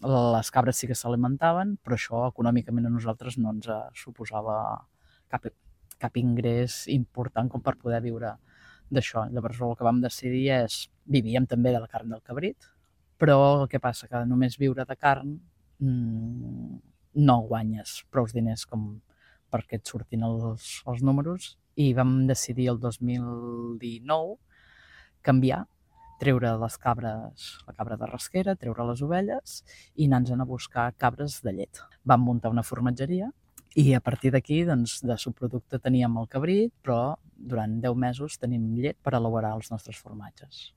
Les cabres sí que s'alimentaven, però això econòmicament a nosaltres no ens suposava cap, cap ingrés important com per poder viure d'això. Llavors el que vam decidir vivíem també de la carn del cabrit, però el que passa que només viure de carn no guanyes prou diners com perquè et surtin els números, i vam decidir el 2019 canviar, treure les cabres, la cabra de rasquera, treure les ovelles i anar-nos a buscar cabres de llet. Vam muntar una formatgeria i a partir d'aquí, doncs, de subproducte teníem el cabrit, però durant 10 mesos tenim llet per elaborar els nostres formatges.